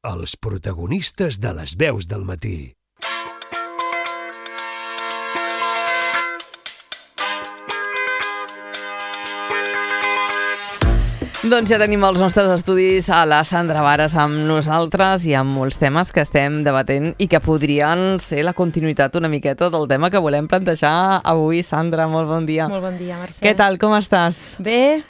els protagonistes de les veus del matí. Doncs ja tenim els nostres estudis a la Sandra Varas amb nosaltres i amb molts temes que estem debatent i que podrien ser la continuïtat una miqueta del tema que volem plantejar avui. Sandra, molt bon dia. Molt bon dia, Mercè. Què tal, com estàs? Bé.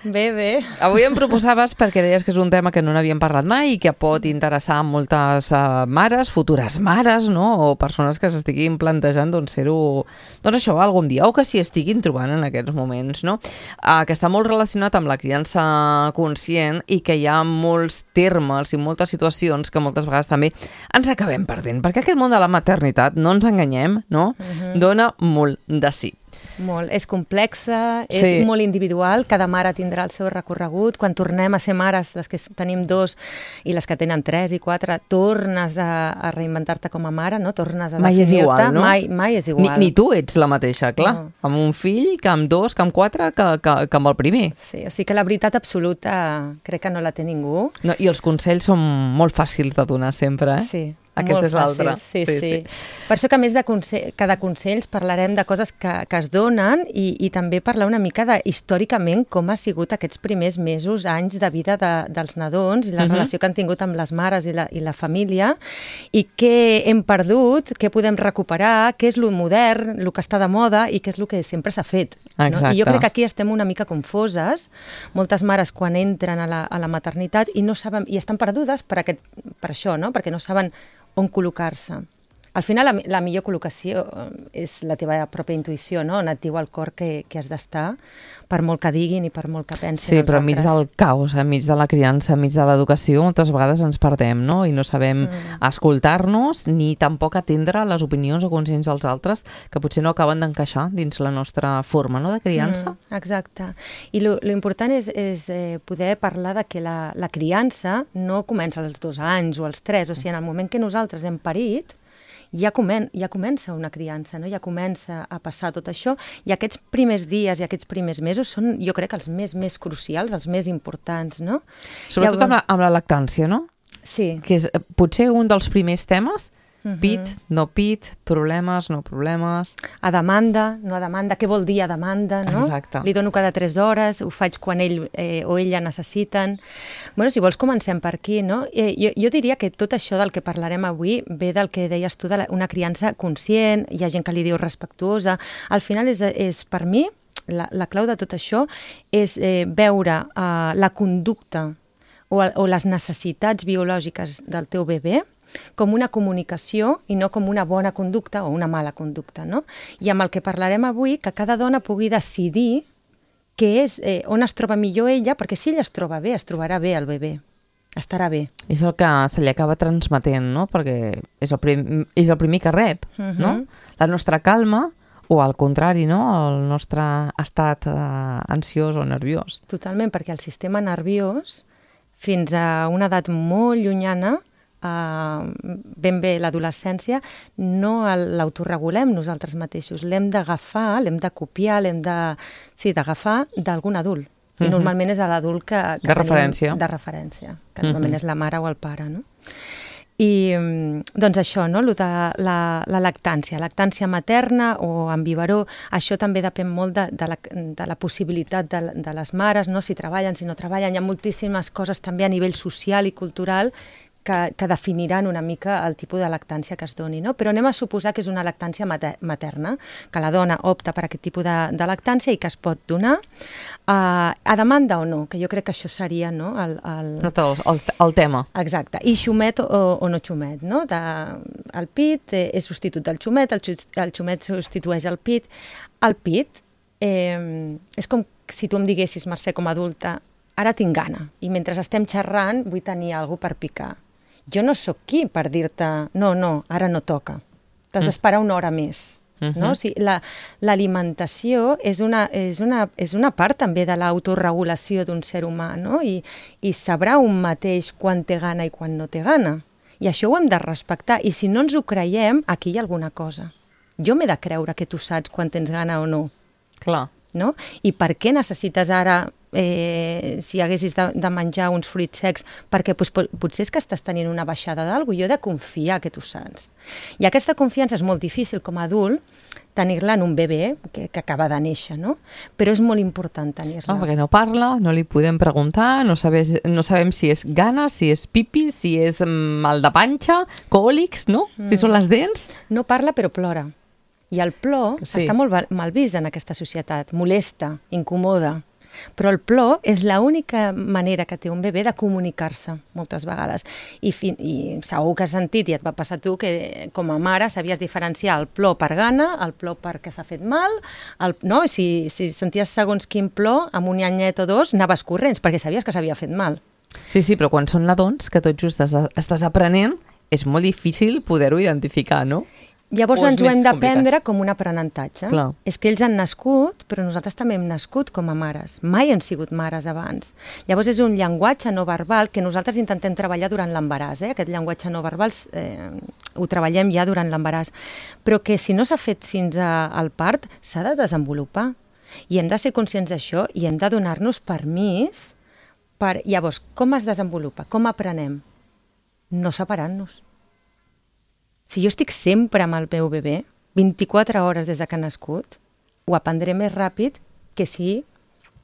Avui em proposaves, perquè deies que és un tema que no n'havíem parlat mai i que pot interessar a moltes mares, futures mares, no? O persones que s'estiguin plantejant ser-ho, doncs això, algun dia, o que s'hi estiguin trobant en aquests moments, no? Que està molt relacionat amb la criança conscient i que hi ha molts termes i moltes situacions que moltes vegades també ens acabem perdent, perquè aquest món de la maternitat, no ens enganyem, no? Dona molt de sí. Molt. És complexa, és molt individual, cada mare tindrà el seu recorregut. Quan tornem a ser mares, les que tenim 2 i les que tenen 3 i 4, tornes a reinventar-te com a mare, no? Tornes a mai és igual, no? Mai és igual. Ni tu ets la mateixa, clar. No. Amb un fill, que amb 2, que amb 4, que amb el primer. Sí, o sigui que la veritat absoluta crec que no la té ningú. No, i els consells són molt fàcils de donar sempre, eh? Sí. Aquesta és l'altra. Sí. Per això que a més de consells parlarem de coses que es donen i també parlar una mica de històricament com ha sigut aquests primers mesos, anys de vida dels nadons i la relació que han tingut amb les mares i la família i què hem perdut, què podem recuperar, què és lo modern, el que està de moda i què és el que sempre s'ha fet. No? I jo crec que aquí estem una mica confoses, moltes mares quan entren a la maternitat i no saben, i estan perdudes per això, no? Perquè no saben on col·locar-se. Al final, la millor col·locació és la teva pròpia intuïció, no? On et diu el cor que has d'estar, per molt que diguin i per molt que pensin els altres. Sí, però enmig del caos, enmig de la criança, enmig de l'educació, moltes vegades ens perdem, no? I no sabem escoltar-nos ni tampoc atendre les opinions o conscients dels altres que potser no acaben d'encaixar dins la nostra forma, no?, de criança. Exacte. I lo important és poder parlar de que la criança no comença als 2 anys o als 3, o sigui, en el moment que nosaltres hem parit, ja comença una criança, no? Ja comença a passar tot això, i aquests primers dies i aquests primers mesos són, jo crec, els més crucials, els més importants, no? Sobretot amb la lactància, no? Sí. Que és potser un dels primers temes. Pit, no pit, problemes, no problemes. A demanda, no a demanda, què vol dir a demanda, no? Exacte. Li dono cada 3 hores, ho faig quan ell o ella necessiten. Bueno, si vols comencem per aquí, no? Jo diria que tot això del que parlarem avui ve del que deies tu, una criança conscient, hi ha gent que li diu respectuosa. Al final és per mi, la clau de tot això és veure la conducta o les necessitats biològiques del teu bebè com una comunicació i no com una bona conducta o una mala conducta, no? I amb el que parlarem avui, que cada dona pugui decidir què és, on es troba millor ella, perquè si ella es troba bé, es trobarà bé el bebè, estarà bé. És el que se li acaba transmetent, no? Perquè és el primer que rep, no? La nostra calma, o al contrari, no? El nostre estat ansiós o nerviós. Totalment, perquè el sistema nerviós, fins a una edat molt llunyana, ben bé l'adolescència, no l'autoregulem nosaltres mateixos. L'hem d'agafar, l'hem de copiar, d'agafar d'algun adult. I normalment és l'adult que de referència. De referència, que normalment és la mare o el pare, no? I doncs això, no? La lactància materna o en biberó, això també depèn molt de la possibilitat de les mares, no? Si treballen, si no treballen. Hi ha moltíssimes coses també a nivell social i cultural que definiran una mica el tipus de lactància que es doni, no? Però anem a suposar que és una lactància materna, que la dona opta per aquest tipus de lactància i que es pot donar a demanda o no, que jo crec que això seria, no? El tema. Exacte. I xumet o no xumet, no? El pit és substitut del xumet, el xumet substitueix el pit. El pit és com si tu em diguessis, Mercè, com a adulta, ara tinc gana i mentre estem xerrant vull tenir alguna cosa per picar. Jo no sóc qui per dir-te, no, ara no toca. T'has d'esperar una hora més. No? O sigui, l'alimentació és una part també de l'autoregulació d'un ser humà, no? I sabrà un mateix quan té gana i quan no té gana. I això ho hem de respectar. I si no ens ho creiem, aquí hi ha alguna cosa. Jo m'he de creure que tu saps quan tens gana o no. Clar. No? I per què necessites ara si haguessis de menjar uns fruits secs, perquè potser és que estàs tenint una baixada d'algú, jo he de confiar que tu saps. I aquesta confiança és molt difícil com a adult tenir-la en un bebè que acaba de néixer, no? Però és molt important tenir-la. Perquè no parla, no li podem preguntar, no sabem si és gana, si és pipi, si és mal de panxa, còlics, no? Si són les dents. No parla però plora. I el plor està molt mal vist en aquesta societat, molesta, incomoda. Però el plor és l'única manera que té un bebè de comunicar-se, moltes vegades. I segur que has sentit, i et va passar tu, que com a mare sabies diferenciar el plor per gana, el plor perquè s'ha fet mal, no? Si senties segons quin plor, amb un anyet o dos, anaves corrents, perquè sabies que s'havia fet mal. Sí, però quan són nadons, que tot just estàs aprenent, és molt difícil poder-ho identificar, no? Llavors ens ho hem d'aprendre com un aprenentatge. Clar. És que ells han nascut, però nosaltres també hem nascut com a mares. Mai hem sigut mares abans. Llavors és un llenguatge no verbal que nosaltres intentem treballar durant l'embaràs. Aquest llenguatge no verbal ho treballem ja durant l'embaràs. Però que si no s'ha fet fins al part, s'ha de desenvolupar. I hem de ser conscients d'això i hem de donar-nos permís per... Llavors, com es desenvolupa? Com aprenem? No separant-nos. Si jo estic sempre amb el meu bebè, 24 hores des que ha nascut, ho aprendré més ràpid que si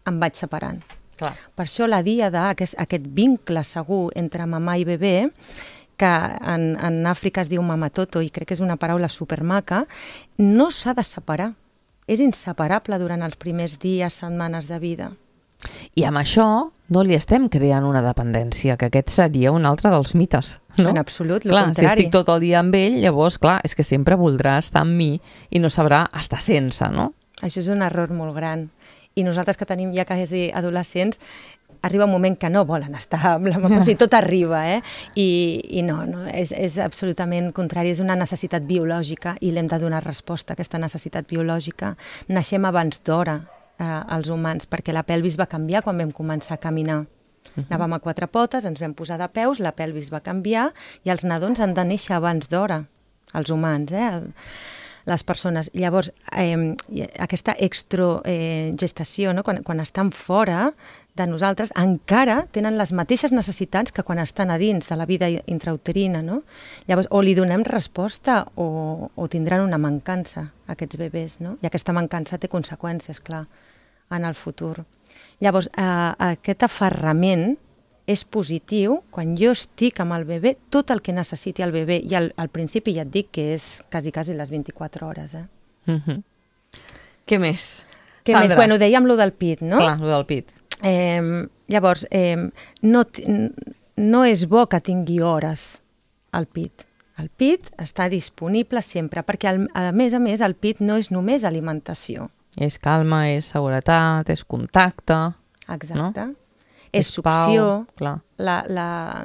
em vaig separant. Clar. Per això la díada, aquest vincle segur entre mamà i bebè, que en Àfrica es diu mamatoto, i crec que és una paraula supermaca, no s'ha de separar. És inseparable durant els primers dies, setmanes de vida. I amb això no li estem creant una dependència, que aquest seria un altre dels mites. No? En absolut, el contrari. Si estic tot el dia amb ell, llavors, clar, és que sempre voldrà estar amb mi i no sabrà estar sense, no? Això és un error molt gran. I nosaltres que tenim ja quasi adolescents, arriba un moment que no volen estar amb la mama, o sigui, tot arriba, I no, és absolutament contrari, és una necessitat biològica i l'hem de donar resposta a aquesta necessitat biològica. Naixem abans d'hora, els humans, perquè la pelvis va canviar quan vam començar a caminar. Anàvem a 4 potes, ens vam posar de peus, la pelvis va canviar i els nadons han de néixer abans d'hora, els humans, les persones. Llavors, aquesta extrogestació, no? quan estan fora de nosaltres, encara tenen les mateixes necessitats que quan estan a dins de la vida intrauterina, no? Llavors, o li donem resposta o tindran una mancança, aquests bebès, no? I aquesta mancança té conseqüències, clar, en el futur. Llavors, aquest aferrament és positiu quan jo estic amb el bebè, tot el que necessiti el bebè, i al principi ja et dic que és quasi les 24 hores. Què més? Què més? Bueno, dèiem lo del pit, no? Clar, lo del pit. Llavors, no és bo que tingui hores el pit. El pit està disponible sempre, perquè a més, el pit no és només alimentació. És calma, és seguretat, és contacte. Exacte. No? És succió. Clar.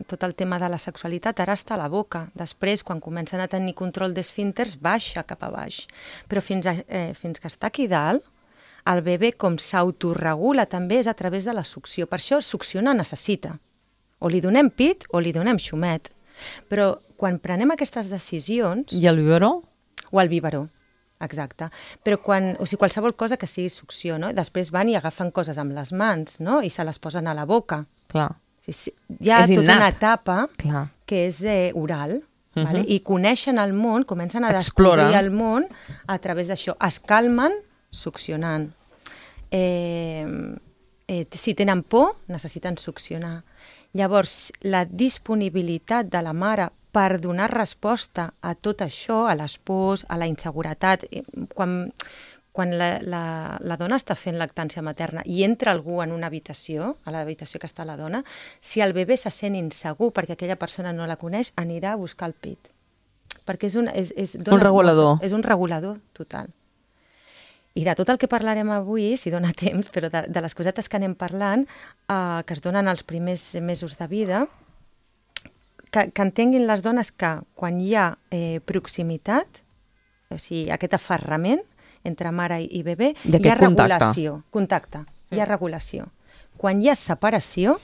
Tot el tema de la sexualitat ara està a la boca. Després, quan comencen a tenir control d'esfínters, baixa cap a baix. Però fins que està aquí dalt, el bebè com s'autoregula també és a través de la succió. Per això succionar necessita. O li donem pit o li donem xumet. Però quan prenem aquestes decisions... I el biberó? O el biberó, exacte. Però qualsevol cosa que sigui succió, no? Després van i agafen coses amb les mans, no? I se les posen a la boca. Clar. Hi ha tota una etapa que és oral, vale? I coneixen el món, comencen a descobrir el món a través d'això. Es calmen succionant. Si tenen por, necessiten succionar. Llavors, la disponibilitat de la mare per donar resposta a tot això, a les pors, a la inseguretat, quan la dona està fent lactància materna i entra algú en una habitació, a l'habitació que està la dona, si el bebè se sent insegur perquè aquella persona no la coneix, anirà a buscar el pit. Perquè és un regulador. És un regulador total. I de tot el que parlarem avui, si dona temps, però de les cosetes que anem parlant, que es donen els primers mesos de vida, que entenguin les dones que quan hi ha proximitat, o sigui, aquest aferrament entre mare i bebè, hi ha regulació. Contacte. Hi ha regulació. Quan hi ha separació,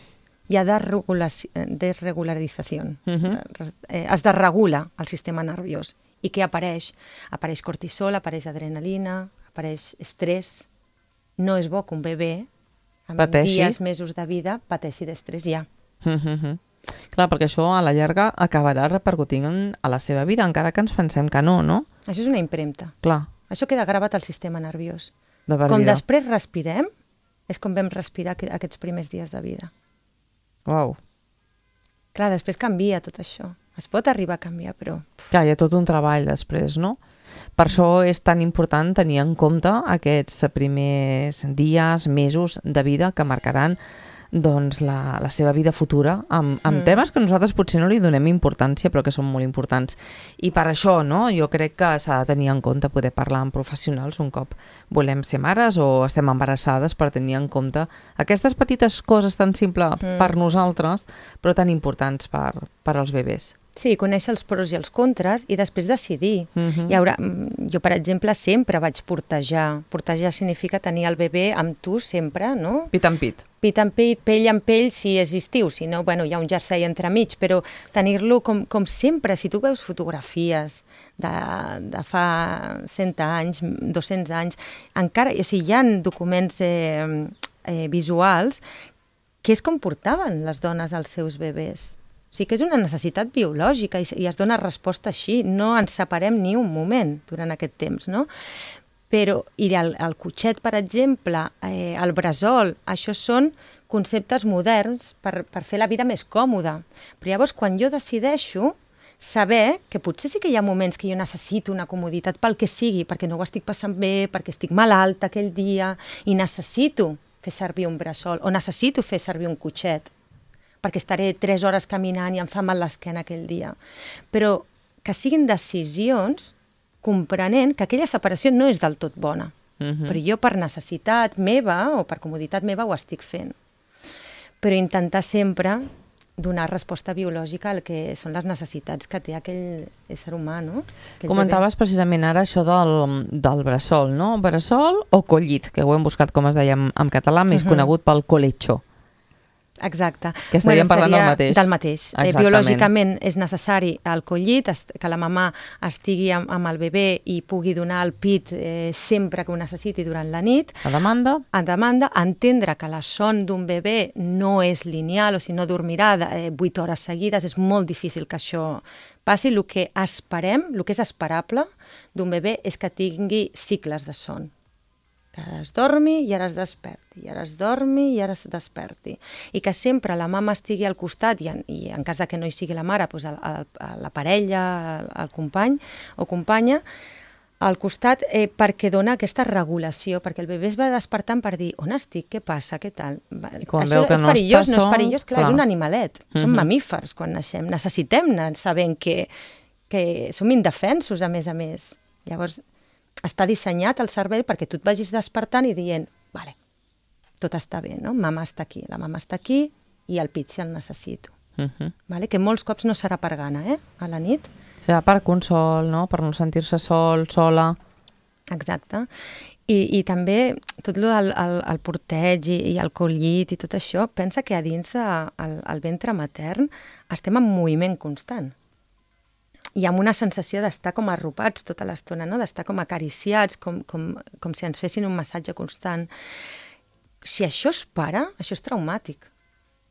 hi ha desregularització. Es desregula el sistema nerviós. I què apareix? Apareix cortisol, apareix adrenalina, apareix estrès. No és bo que un bebè amb Pateixi. dies, mesos de vida, pateixi d'estrès ja. Clar, perquè això a la llarga acabarà repercutint a la seva vida, encara que ens pensem que no, no? Això és una impremta. Clar, Això queda gravat al sistema nerviós. de per Com vida. després respirem, és com vam respirar aquests primers dies de vida. Uau. Clar, després canvia tot això. Es pot arribar a canviar, però... Clar, hi ha tot un treball després, no? Per això és tan important tenir en compte aquests primers dies, mesos de vida que marcaran doncs, la seva vida futura amb temes que nosaltres potser no li donem importància però que són molt importants. I per això no, jo crec que s'ha de tenir en compte poder parlar amb professionals un cop volem ser mares o estem embarassades, per tenir en compte aquestes petites coses tan simples per nosaltres però tan importants per als bebès. Sí, conèixer els pros i els contres i després decidir. Jo, per exemple, sempre vaig portejar. Portejar significa tenir el bebè amb tu sempre, no? Pit en pit. Pit en pit, pell en pell, si és estiu, si no, bueno, hi ha un jersei entremig, però tenir-lo com sempre. Si tu veus fotografies de fa 100 anys, 200 anys, encara, o sigui, hi ha documents visuals que és com portaven les dones als seus bebès. O sigui que és una necessitat biològica i es dona resposta així. No ens separem ni un moment durant aquest temps, no? Però, i el cotxet, per exemple, el bressol, això són conceptes moderns per fer la vida més còmoda. Però llavors, quan jo decideixo saber que potser sí que hi ha moments que jo necessito una comoditat pel que sigui, perquè no ho estic passant bé, perquè estic malalta aquell dia, i necessito fer servir un bressol o necessito fer servir un cotxet, perquè estaré 3 hores caminant i em fa mal l'esquena aquell dia. Però que siguin decisions comprenent que aquella separació no és del tot bona. Però jo per necessitat meva o per comoditat meva ho estic fent. Però intentar sempre donar resposta biològica al que són les necessitats que té aquell ésser humà, no? Comentaves precisament ara això del bressol, no? Bressol o collit, que ho hem buscat com es deia en català, més conegut pel colecho. Exacte. Que estaríem parlant del mateix. Del mateix. Biològicament és necessari el collit, que la mamà estigui amb el bebè i pugui donar el pit sempre que ho necessiti durant la nit. A demanda? A demanda, entendre que la son d'un bebè no és lineal, o sigui, no dormirà 8 hores seguides, és molt difícil que això passi. El que esperem, el que és esperable d'un bebè és que tingui cicles de son. Que ara es dormi i ara es desperti, i ara es dormi i ara es desperti. I que sempre la mama estigui al costat, i en cas que no hi sigui la mare, doncs la parella, el company o companya, al costat perquè dona aquesta regulació, perquè el bebè es va despertant per dir on estic, què passa, què tal. Això és perillós, no és perillós, clar, és un animalet. Som mamífers quan naixem, necessitem anar sabent que som indefensos, a més. Llavors, està dissenyat el cervell perquè tu et vagis despertant i dient, vale, tot està bé, no? Mama està aquí, la mama està aquí i el pit si el necessito. Vale? Que molts cops no serà per gana, a la nit. Serà per consol, no? Per no sentir-se sol, sola. Exacte. I també tot el porteig i el collit i tot això, pensa que a dins del ventre matern estem en moviment constant. I amb una sensació d'estar com arropats tota l'estona, no? D'estar com acariciats, com si ens fessin un massatge constant. Si això es para, això és traumàtic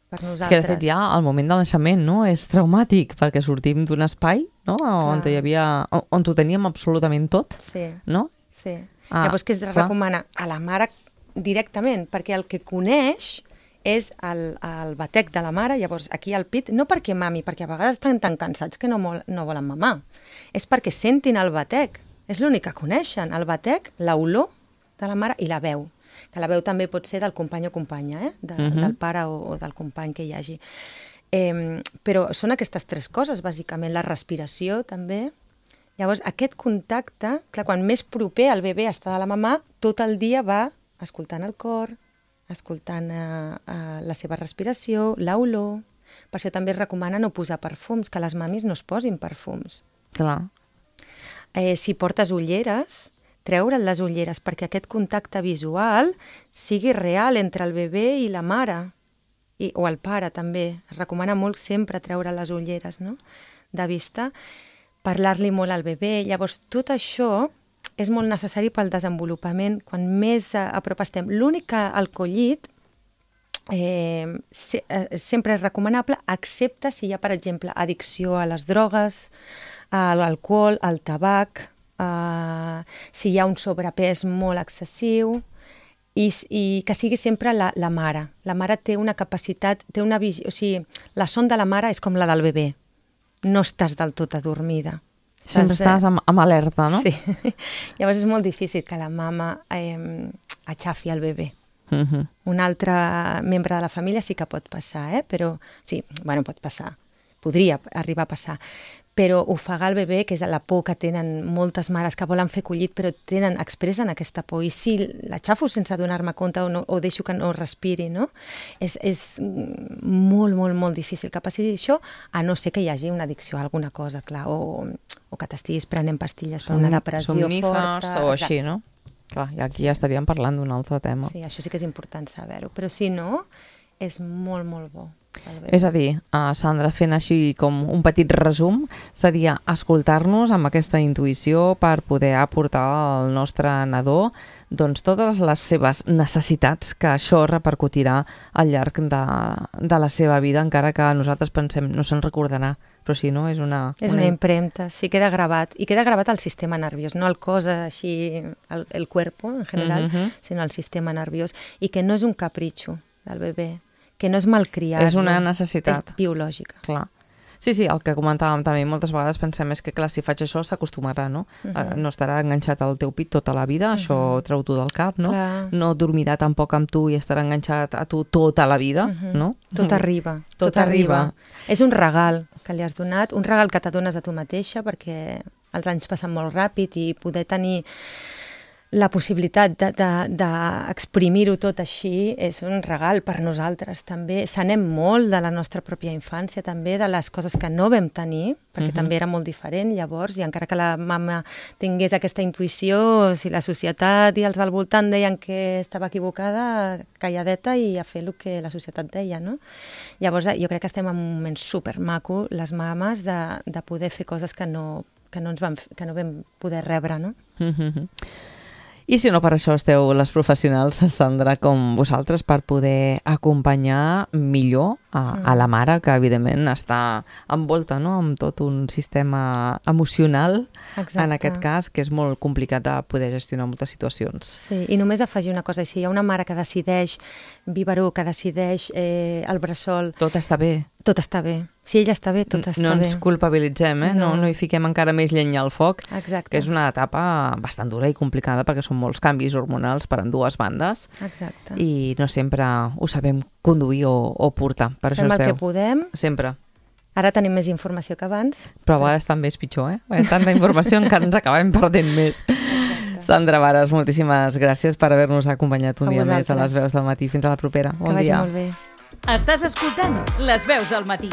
per nosaltres. És que, de fet, ja al moment del naixement, no? És traumàtic, perquè sortim d'un espai, no? On ho teníem absolutament tot, no? Sí. Llavors, què es recomana? A la mare directament, perquè el que coneix és el batec de la mare, llavors aquí al pit, no perquè mami, perquè a vegades estan tan cansats que no volen mamar, és perquè sentin el batec, és l'únic que coneixen, el batec, l'olor de la mare i la veu, que la veu també pot ser del company o companya, del pare o del company que hi hagi. Però són aquestes 3 coses, bàsicament, la respiració també. Llavors, aquest contacte, clar, quan més proper el bebè està de la mamà, tot el dia va escoltant el cor, escoltant la seva respiració, l'olor. Per això també es recomana no posar perfums, que les mamis no es posin perfums. Clar. Si portes ulleres, treure't les ulleres perquè aquest contacte visual sigui real entre el bebè i la mare, o el pare també. Es recomana molt sempre treure les ulleres, no?, de vista, parlar-li molt al bebè. Llavors, tot això és molt necessari pel desenvolupament, quan més a prop estem. L'únic que el collit sempre és recomanable, excepte si hi ha, per exemple, addicció a les drogues, a l'alcohol, al tabac, si hi ha un sobrepès molt excessiu, i que sigui sempre la mare. La mare té una capacitat, té una visió, o sigui, la son de la mare és com la del bebè. No estàs del tot adormida. Sempre estàs amb alerta, no? Sí. Llavors és molt difícil que la mama aixafi el bebè. Un altre membre de la família sí que pot passar, però sí, bueno, pot passar. Podria arribar a passar. Però ofegar el bebè, que és la por que tenen moltes mares que volen fer collit, però expressen aquesta por. I si l'aixafo sense donar-me compte o deixo que no respiri, no? És molt, molt, molt difícil que passi això, a no ser que hi hagi una addicció a alguna cosa, clar, o que t'estiguis prenent pastilles per una depressió somnífers forta. o així, no? Clar, i aquí ja estaríem parlant d'un altre tema. Sí, això sí que és important saber-ho, però si no, és molt, molt bo. És a dir, Sandra, fent així com un petit resum, seria escoltar-nos amb aquesta intuïció per poder aportar al nostre nadó doncs, totes les seves necessitats, que això repercutirà al llarg de la seva vida, encara que nosaltres pensem no se'n recordarà, però sí, no? És una impremta, sí, queda gravat. I queda gravat al sistema nerviós, no el cos així, el cuerpo en general, sinó el sistema nerviós, i que no és un capritxo del bebè, que no és malcriat. És una necessitat. És biològica. Clar. Sí, el que comentàvem també, moltes vegades pensem és que, clar, si faig això s'acostumarà, no? No estarà enganxat al teu pit tota la vida, això treu-t'ho del cap, no? Clar. No dormirà tampoc amb tu i estarà enganxat a tu tota la vida, no? Tot arriba. Tot arriba. És un regal que li has donat, un regal que t'adones a tu mateixa, perquè els anys passen molt ràpid i poder tenir la possibilitat d'exprimir-ho tot així és un regal per nosaltres també. S'anem molt de la nostra pròpia infància també, de les coses que no vam tenir, perquè també era molt diferent llavors, i encara que la mama tingués aquesta intuïció, si la societat i els del voltant deien que estava equivocada, calladeta i a fer el que la societat deia, no? Llavors jo crec que estem en un moment supermaco, les mames, de poder fer coses que no vam poder rebre, no? I si no per això esteu les professionals, Sandra, com vosaltres, per poder acompanyar millor a la mare, que evidentment està envolta, no?, amb tot un sistema emocional, en aquest cas, que és molt complicat de poder gestionar moltes situacions. Sí, i només afegir una cosa, si hi ha una mare que decideix biberó, que decideix el bressol... Tot està bé. Tot està bé. Si ella està bé, tot està bé. No ens culpabilitzem, no hi fiquem encara més llenya al foc, Exacte. Que és una etapa bastant dura i complicada perquè són molts canvis hormonals per ambdues bandes. Exacte. I no sempre ho sabem conduir o portar. Per això fem esteu. El que podem. Sempre. Ara tenim més informació que abans. Però a vegades també és pitjor, tanta informació encara ens acabem perdent més. Exacte. Sandra Vares, moltíssimes gràcies per haver-nos acompanyat un dia més a les Veus del Matí. Fins a la propera. Bon dia. Que vagi molt bé. Estàs escoltant Les Veus del Matí.